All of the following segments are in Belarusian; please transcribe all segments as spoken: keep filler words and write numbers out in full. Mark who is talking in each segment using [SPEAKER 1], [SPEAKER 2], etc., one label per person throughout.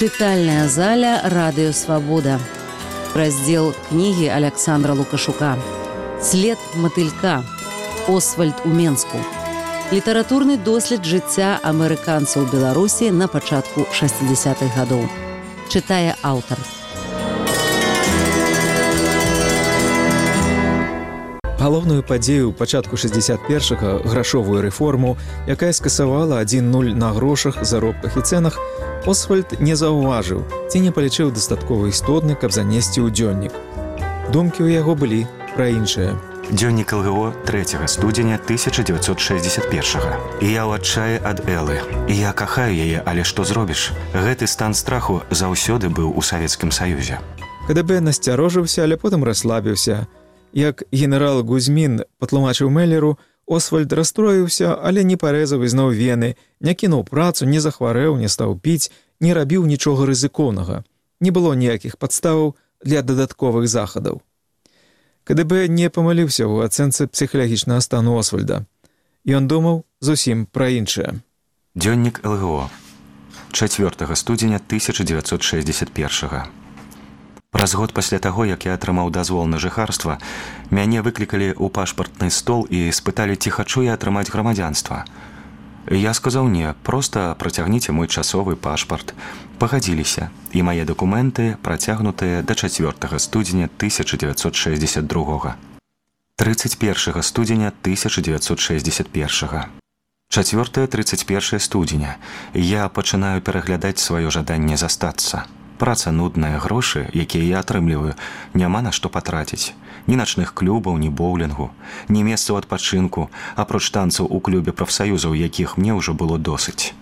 [SPEAKER 1] Чытальная заля «Радыё Свабода». Раздзел кнігі Аляксандра Лукашука. «След матылька. Освальд у Менску». Літаратурны дослед жыцця амерыканцаў Беларусі на пачатку шэсцідзясятых гадоў. Чытае аўтар.
[SPEAKER 2] Галоўную падзею ў пачатку шэсцьдзесят першага грашовую рэформу, якая скасавала адзін нуль на грошах, заробках і цэнах, Освальд не заўважыў ці не палічыў дастаткова істотны, каб занесці ў дзённік. Думкі ў яго былі пра іншае.
[SPEAKER 3] Дзённік эл гэ о трэцяга студзеня тысяча дзевяцьсот шэсцьдзесят першага. І я ў адчаі ад Элы. І я кахаю яе, але што зробіш? Гэты стан страху заўсёды быў у Савецкім Саюзе.
[SPEAKER 2] ка дэ бэ насцярожыўся, але потым расслабіўся. Як генерал Гузьмін патлумачыў Меллеру, Освальд расстроіўся, але не парэзаў ізноў вены, не кінуў працу, не захварэў, не стаў піць, не рабіў нічога рызыкоўнага. Не было ніякіх падставаў для дадатковых захадаў. ка дэ бэ не памыліўся ў ацэнцы псіхалагічнага стану Освальда. Ён думаў зусім пра іншае.
[SPEAKER 3] Дзённік эл гэ о чацвёртага студзеня тысяча дзевяцьсот шэсцьдзесят першага. Праз год пасля таго, як я атрымаў дазвол на жыхарства, мяне выклікалі ў пашпартны стол і спыталі, ці хачу я атрымаць грамадзянства. Я сказаў не, проста працягніце мой часовы пашпарт. Пагадзіліся, і мае дакументы працягнутыя да чацвёртага студзеня тысяча дзевяцьсот шэсцьдзесят другога. трыццаць першага студзеня тысяча дзевяцьсот шэсцьдзесят першага. чацвёртае трыццаць першае студзеня. Я пачынаю пераглядаць сваё жаданне застацца. Праца нудная, грошы, якія я атрымліваю, няма на што патраціць. Ні начных клубаў, ні боулінгу, ні месцаў адпачынку, апроч танцаў у клубе прафсаюзаў, якіх мне ўжо было досыць.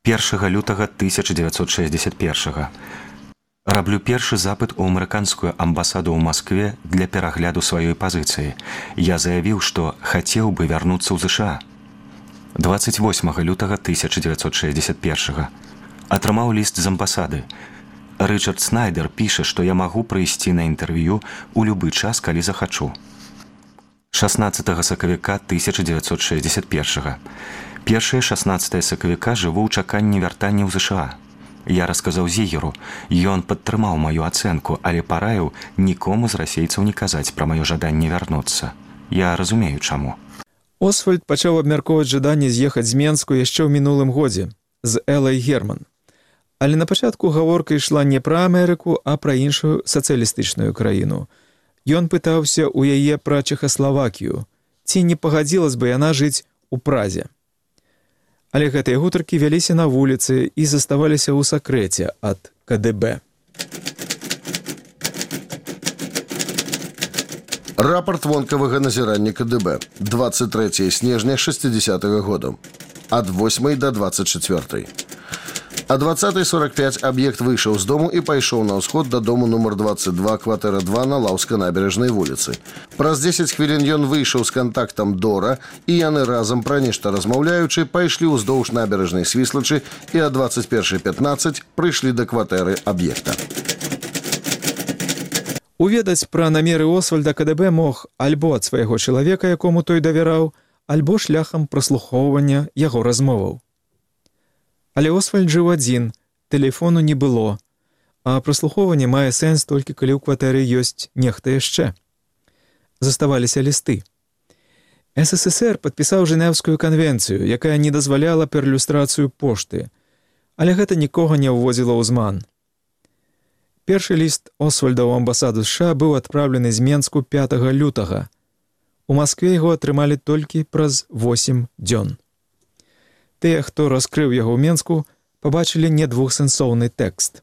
[SPEAKER 3] першага лютага тысяча дзевяцьсот шэсцьдесят першага. Раблю першы запыт у амерыканскую амбасаду ў Маскве для перагляду сваёй пазіцыі. Я заявіў, што хацеў бы вярнуцца ў зэ ша а. дваццаць восьмага лютага тысяча дзевяцьсот шэсцьдесят першага. Атрымаў ліст з амбасады. Рычард Снайдер піша, што я магу прыйсці на інтэрв'ю ў любы час, калі захачу. шаснаццатага сакавіка тысяча дзевяцьсот шэсцьдесят першага. Першае шаснаццатае сакавіка жыву ў чаканні вяртання ў зэ ша а. Я расказаў Зігеру, ён падтрымаў маю ацэнку, але параіў нікому з расейцаў не казаць пра маё жаданне вярнуцца. Я разумею, чаму.
[SPEAKER 2] Освальд пачаў абмяркоўваць жаданне з'ехаць з Менску яшчэ ў мінулым годзе з Элай Герман. Але на пачатку гаворка ішла не пра Амерыку, а пра іншую сацыялістычную краіну. Ён пытаўся ў яе пра Чэхаславакію, ці не пагадзілась бы яна жыць у Празе. Але гэтыя гутаркі вяліся на вуліцы і заставаліся ў сакрэце ад ка дэ бэ.
[SPEAKER 4] Рапорт вонкавага назірання ка дэ бэ. дваццаць трэцяга снежня шэсцідзясятага года. Ад восьмай да дваццаць чацвёртай. А дваццатай сорок пять аб'ект выйшаў з дому і пайшоў на ўсход да дому нумар дваццаць два, кватэра два на Лаўска-набярэжнай вуліцы. Праз дзесяць хвілін ён выйшаў з кантактам Дора, і яны разам, пра нешта размаўляючы, пайшлі ўздоўж набярэжнай Свіслачы і а дваццаць першая пятнаццаць прыйшлі да кватэры аб'екта.
[SPEAKER 2] Уведаць пра намеры Освальда ка дэ бэ мог альбо ад свайго чалавека, якому той давяраў, альбо шляхам праслухоўвання яго размоваў. Але Освальд жыў адзін, тэлефону не было, а праслухоўванне мае сэнс толькі калі ў кватэры ёсць нехта яшчэ. Заставаліся лісты. эс эс эс эр падпісаў Жэнеўскую канвенцыю, якая не дазваляла перлюстрацыю пошты, але гэта нікога не ўводзіла ў зман. Першы ліст Освальда ў амбасаду зэ ша а быў адпраўлены з Менску пятага лютага. У Маскве яго атрымалі толькі праз восем дзён. Тыя, хто раскрыў яго ў Менску, пабачылі не двухсэнсоўны тэкст.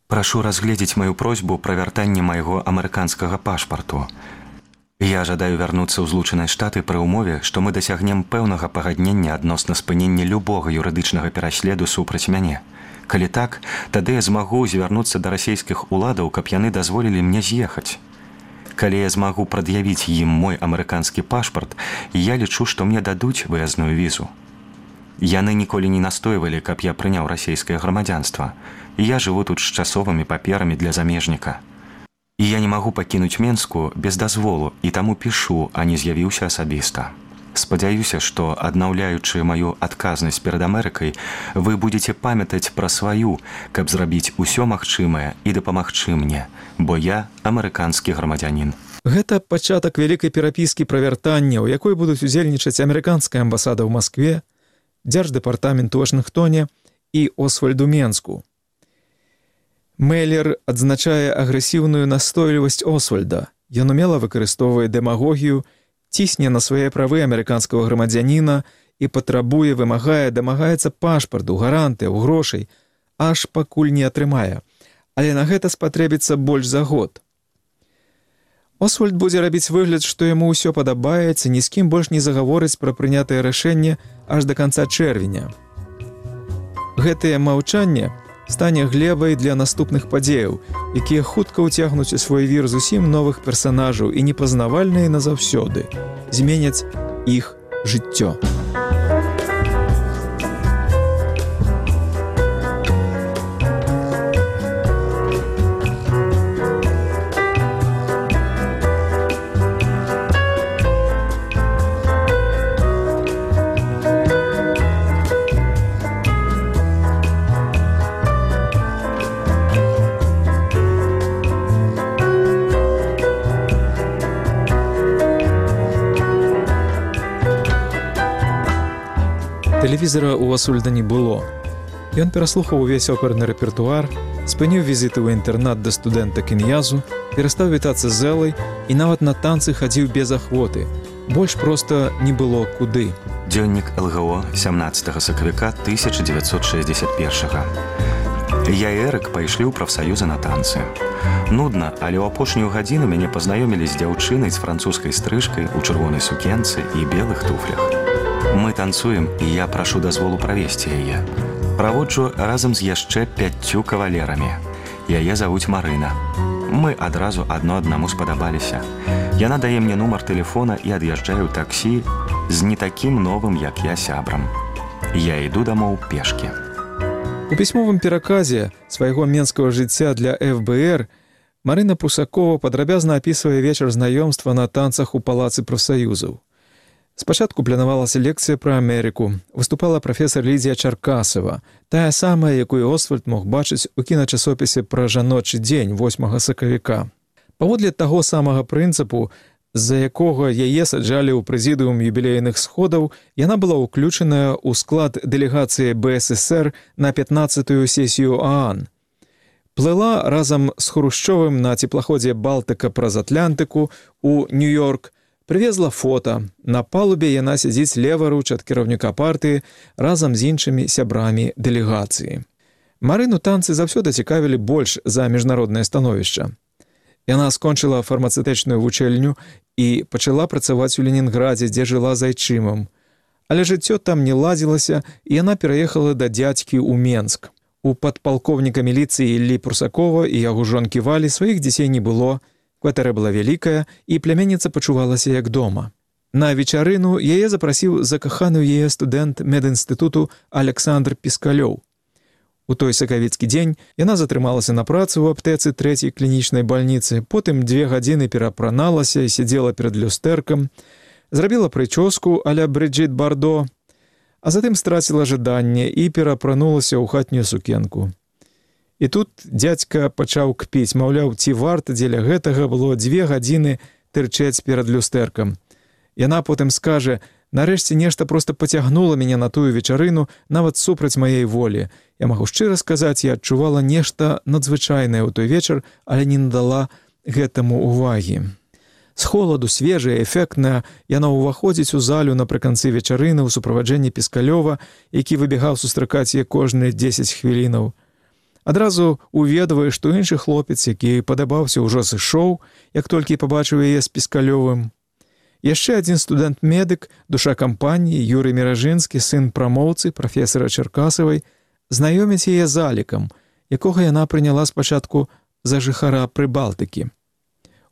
[SPEAKER 3] Прашу разгледзець маю просьбу пра вяртанне майго амерыканскага пашпарту. Я жадаю вярнуцца ў Злучаныя Штаты пры ўмове, што мы дасягнем пэўнага пагаднення адносна спынення любога юрыдычнага пераследу супраць мяне. Калі так, тады я змагу звярнуцца да расейскіх уладаў, каб яны дазволілі мне з'ехаць. Калі я змагу прад'явіць ім мой амерыканскі пашпарт, я лічу, што мне дадуць выязную візу. Яны ніколі не настойвалі, каб я прыняў расейскае грамадзянства. Я жыву тут з часовымі паперамі для замежніка. І я не магу пакінуць Менску без дазволу, і таму пішу, а не з'явіўся асабіста. Спадзяюся, што, аднаўляючы маю адказнасць перад Амерыкай, вы будзеце памятаць пра сваю, каб зрабіць усё магчымае і дапамагчы мне, бо я амерыканскі грамадзянін.
[SPEAKER 2] Гэта пачатак вялікай перапіскі пра вяртанне, у якой будуць удзельнічаць амерыканская амбасада ў Маскве, дзярждэпартамент у Вашынгтоне і Освальд у Менску. Мэллер адзначае агрэсіўную настойлівасць Освальда. Ён умела выкарыстоўвае дэмагогію, цісне на свае правы амерыканскага грамадзяніна і патрабуе, вымагае, дамагаецца пашпарту, гарантыяў, грошай, аж пакуль не атрымае. Але на гэта спатрэбіцца больш за год. Освальд будзе рабіць выгляд, што яму ўсё падабаецца, ні з кім больш не загаворыць пра прынятае рашэнне аж да канца чэрвеня. Гэтае маўчанне стане глебай для наступных падзеяў, якія хутка ўцягнуць у свой вір зусім новых персанажаў і непазнавальныя назаўсёды, зменяць іх жыццё. Тэлевізара ў Освальда не было. Ён пераслухаў увесь оперны рэпертуар, спыніў візіты ў інтэрнат да студэнта Кіньязу, перастаў вітацца з Элай і нават на танцы хадзіў без ахвоты. Больш проста не было куды.
[SPEAKER 3] Дзённік эл гэ о сямнаццатага сакавіка тысяча дзевяцьсот шэсцьдзесят першага. Я і Эрык пайшлі ў прафсаюзы на танцы. Нудна, але ў апошнюю гадзіну мяне пазнаёмілі з дзяўчынай з французскай стрыжкай у чырвонай сукенцы і белых туфлях. Мы танцуем, і я прашу дазволу правесці яе. Праводжу разам з яшчэ пяццю кавалерамі. Яе завуць Марына. Мы адразу адно аднаму спадабаліся. Яна дае мне нумар тэлефона і ад'язджаю ў таксі з не такім новым, як я, сябрам. Я іду дамоў пешкі.
[SPEAKER 2] У пісьмовым пераказе свайго менскага жыцця для эф бэ эр Марына Прусакова падрабязна апісвае вечар знаёмства на танцах у палацы прафсаюзаў. Спачатку планавалася лекцыя пра Амерыку. Выступала прафесар Лідзія Чаркасава, тая самая, якую Освальд мог бачыць у кіначасопісе пра жаночы дзень восьмага сакавіка. Паводле таго самага прынцыпу, з-за якога яе саджалі ў прэзідыум юбілейных сходаў, яна была ўключаная ў склад дэлегацыі бэ эс эс эр на пятнаццатую сесію ААН. Плыла разам з Хрушчовым на цеплаходзе «Балтыка» праз Атлантыку ў Нью-Йорк, прывезла фота. На палубе яна сядзіць леваруч ад кіраўніка партыі разам з іншымі сябрамі дэлегацыі. Марыну танцы заўсёды цікавілі больш за міжнароднае становішча. Яна скончыла фармацэўтычную вучэльню і пачала працаваць у Ленінградзе, дзе жыла з айчымам. Але жыццё там не ладзілася, і яна пераехала да дзядзькі ў Менск. У падпалкоўніка міліцыі Іллі Прусакова і яго жонкі Валі сваіх дзяцей не было. Кватэра была вялікая, і пляменніца пачувалася як дома. На вечарыну яе запрасіў закаханы ў яе студэнт медінстытуту Александр Піскалёў. У той сакавіцкі дзень яна затрымалася на працу ў аптэцы трэцяй клінічнай бальніцы, потым дзве гадзіны перапраналася і сядзела перад люстэркам, зрабіла прычоску а-ля Брыджыт Бардо, а затым страціла жаданне і перапранулася ў хатнюю сукенку. І тут дзядзька пачаў кпіць, маўляў, ці варта дзеля гэтага было дзве гадзіны тырчэць перад люстэркам. Яна потым скажа: «Нарэшце нешта проста пацягнула мяне на тую вечарыну, нават супраць маей волі. Я магу шчыра сказаць, я адчувала нешта надзвычайнае ў той вечар, але не надала гэтаму увагі». З холаду, свежая, эфектная, яна ўваходзіць у залю напрыканцы вечарыны ў суправаджэнні Піскалёва, які выбегаў сустракаць яе кожныя дзесяць хвілінаў. Адразу уведвае, што іншы хлопец, які падабаўся, ўжо сышоў, як толькі пабачыў яе з Піскалёвым. Яшчэ адзін студэнт-медык, душа кампаніі, Юрый Міражынскі, сын прамоўцы, прафесара Чаркасавай, знаёміць яе з Алікам, якога яна прыняла спачатку за жыхара Прыбалтыкі.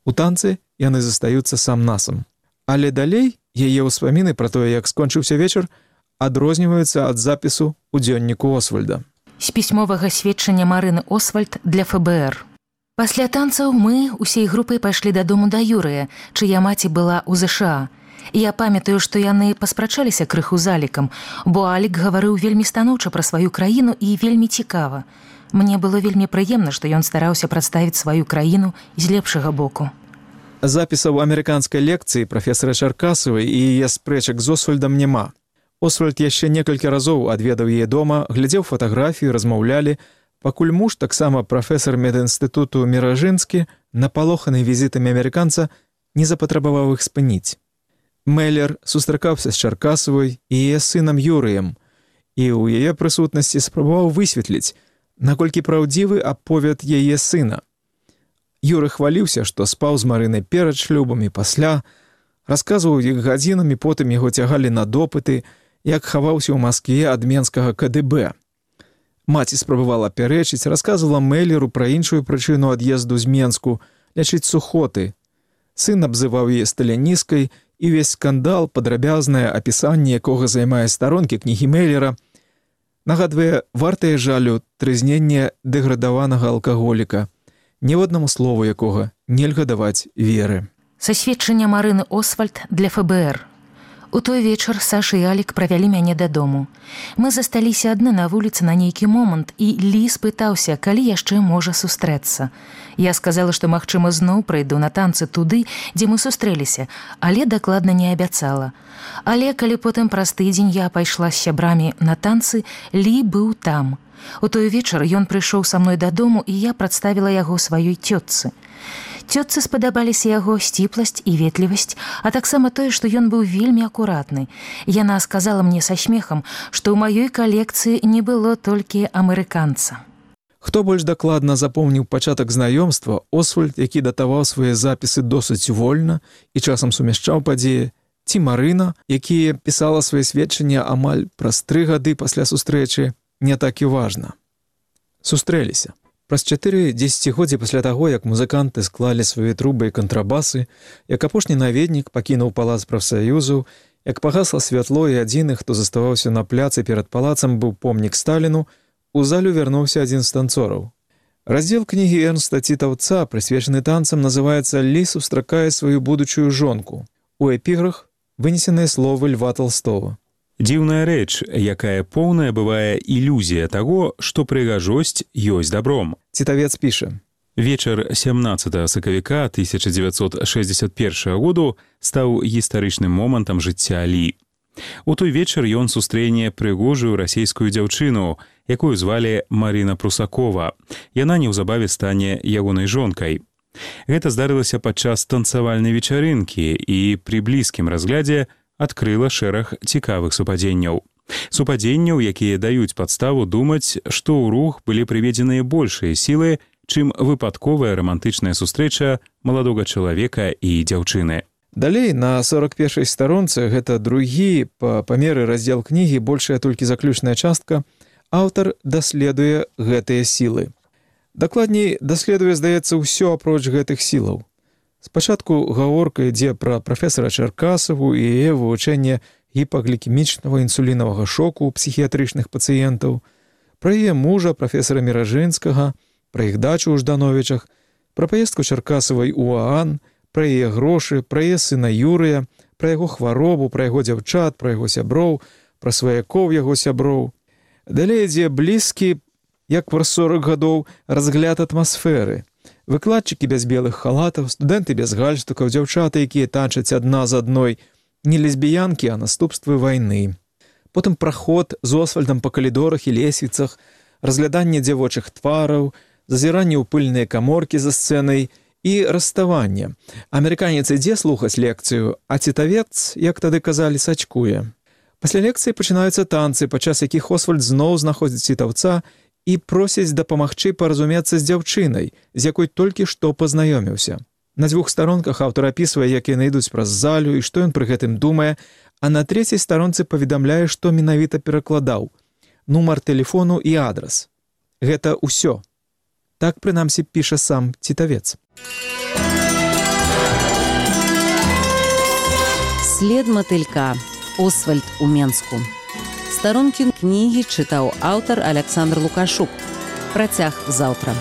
[SPEAKER 2] У танцы яны застаюцца сам-насам. Але далей яе ўспаміны пра тое, як скончыўся вечар, адрозніваюцца ад запісу ў дзённіку Освальда.
[SPEAKER 5] З пісьмовага сведчання Марыны Освальд для эф бэ эр. Пасля танцаў мы усей групай пайшлі дадому да Юрыя, чыя маці была ў зэ ша а. Я памятаю, што яны паспрачаліся крыху з Алікам, бо Алік гаварыў вельмі станоўча пра сваю краіну і вельмі цікава. Мне было вельмі прыемна, што ён стараўся прадставіць сваю краіну з лепшага боку.
[SPEAKER 2] Запісаў амерыканскай лекцыі прафесара Чаркасавай і яе спрэчак з Освальдам няма. Освальд яшчэ некалькі разоў адведаў яе дома, глядзеў фатаграфію, размаўлялі, пакуль муж, таксама прафесар медінстытуту Міражынскі, напалоханы візітамі амерыканца, не запатрабаваў іх спыніць. Мэллер сустракаўся з Чаркасавай і яе сынам Юрыем, і ў яе прысутнасці спрабаваў высветліць, наколькі праўдзівы аповед яе сына. Юры хваліўся, што спаў з Марынай перад шлюбам і пасля, расказваў іх гадзінамі, потым яго цягалі на допыты, як хаваўся ў Маскве ад менскага ка дэ бэ. Маці спрабавала пярэчыць, расказвала Мэллеру пра іншую прычыну ад'езду з Менску, лячыць сухоты. Сын абзываў яе сталіністкай, і ўвесь скандал, падрабязнае апісанне якога займае старонкі кнігі Мэллера, нагадвае вартае жалю трызненне дэградаванага алкаголіка, ніводнаму слову якога нельга даваць веры.
[SPEAKER 5] Са сведчання Марыны Освальд для эф бэ эр. У той вечар Саша і Алік правялі мяне дадому. Мы засталіся адны на вуліцы на нейкі момант, і Лі спытаўся, калі яшчэ можа сустрэцца. Я сказала, што, магчыма, зноў прыйду на танцы туды, дзе мы сустрэліся, але дакладна не абяцала. Але калі потым праз тыдзень я пайшла з сябрамі на танцы, Лі быў там. У той вечар ён прыйшоў са мной дадому, і я прадставіла яго сваёй цётцы. Цётцы спадабаліся яго сціпласць і ветлівасць, а таксама тое, што ён быў вельмі акуратны. Яна сказала мне са смехам, што ў маёй калекцыі не было толькі амерыканца.
[SPEAKER 2] Хто больш дакладна запомніў пачатак знаёмства, Освальд, які датаваў свае запісы досыць вольна і часам сумяшчаў падзеі, ці Марына, якія пісала свае сведчанні амаль праз тры гады пасля сустрэчы, не так і важна. Сустрэліся. Праз чатыры дзесяцігоддзі пасля таго, як музыканты склалі свае трубы і кантрабасы, як апошні наведнік пакінуў палац прафсаюзу, як пагасла святло і адзіны, хто заставаўся на пляцы перад палацам, быў помнік Сталіну, у залю вярнуўся адзін з танцораў. Раздзел кнігі Эрнста Цітаўца, прысвечаны танцам, называецца «Лі сустракае сваю будучую жонку». У эпіграф вынесеныя словы Льва Толстого.
[SPEAKER 6] Дзіўная рэч, якая поўная бывае ілюзія таго, што прыгажосць ёсць добром.
[SPEAKER 2] Цітавец піша.
[SPEAKER 6] Вечар сямнаццатага сакавіка тысяча дзевяцьсот шэсцьдзесят першага году стаў гістарычным момантам жыцця Лі. У той вечар ён сустрэне прыгожую расійскую дзяўчыну, якую звалі Марына Прусакова. Яна неўзабаве стане ягонай жонкай. Гэта здарылася падчас танцавальнай вечарынкі і пры блізкім разглядзе адкрыла шэраг цікавых супадзенняў. Супадзенняў, якія даюць падставу думаць, што ў рух былі прыведзеныя большыя сілы, чым выпадковая рамантычная сустрэча маладога чалавека і дзяўчыны.
[SPEAKER 2] Далей, на сорок першай старонцы, гэта другі па памеры раздзел кнігі, большая толькі заключная частка, аўтар даследуе гэтыя сілы. Дакладней, даследуе, здаецца, ўсё апроч гэтых сілаў. Спачатку гаворка ідзе пра прафесара Чаркасаву і яе вывучэнне гіпаглікемічнага інсулінавага шоку ў псіхіятрычных пацыентаў, пра яе мужа, прафесара Міражынскага, пра іх дачу ў Ждановічах, пра паездку Чаркасавай у Аан, пра яе грошы, пра яе сына Юрыя, пра яго хваробу, пра яго дзяўчат, пра яго сяброў, пра сваякоў яго сяброў. Далей ідзе блізкі, як праз сорак гадоў, разгляд атмасферы. Выкладчыкі без белых халатаў, студэнты без гальштукаў, дзяўчаты, якія танчаць адна з адной, не лесбіянкі, а наступствы вайны. Потым праход з Освальдам па калідорах і лесвіцах, разгляданне дзявочых твараў, зазіранне ў пыльныя каморкі за сцэнай і расставанне. Амерыканец ідзе слухаць лекцыю, а цітавец, як тады казалі, сачкуе. Пасля лекцыі пачынаюцца танцы, падчас якіх Освальд зноў знаходзіць цітаўца і просіць дапамагчы паразумецца з дзяўчынай, з якой толькі што пазнаёміўся. На дзвюх старонках аўтар апісвае, як яны ідуць праз залю і што ён пры гэтым думае, а на трэцяй старонцы паведамляе, што менавіта перакладаў, нумар тэлефону і адрас. Гэта ўсё. Так, прынамсі, піша сам цітавец.
[SPEAKER 1] След матылька. Освальд у Менску. Старонкі кнігі чытаў аўтар Аляксандр Лукашук. Працяг заўтра.